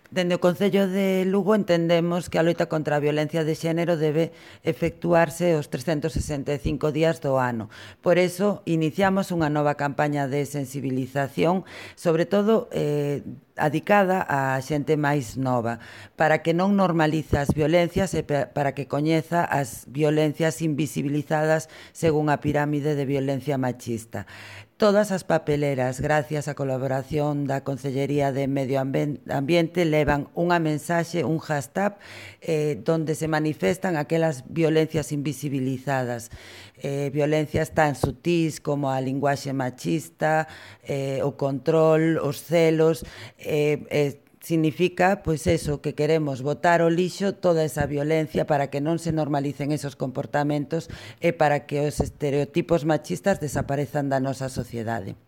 Dende o Concello de Lugo entendemos que a loita contra a violencia de xénero debe efectuarse os 365 días do ano. Por eso, iniciamos unha nova campaña de sensibilización, sobre todo adicada á xente máis nova, para que non normalice as violencias e para que coñeza as violencias invisibilizadas según a pirámide de violencia machista. Todas as papeleras, gracias á colaboración da Concellería de Medio Ambiente, levan unha mensaxe, un hashtag, donde se manifestan aquelas violencias invisibilizadas. Violencias tan sutís como a linguaxe machista, o control, os celos, significa, pois eso, que queremos botar ao lixo toda esa violencia para que non se normalicen esos comportamentos e para que os estereotipos machistas desaparezan da nosa sociedade.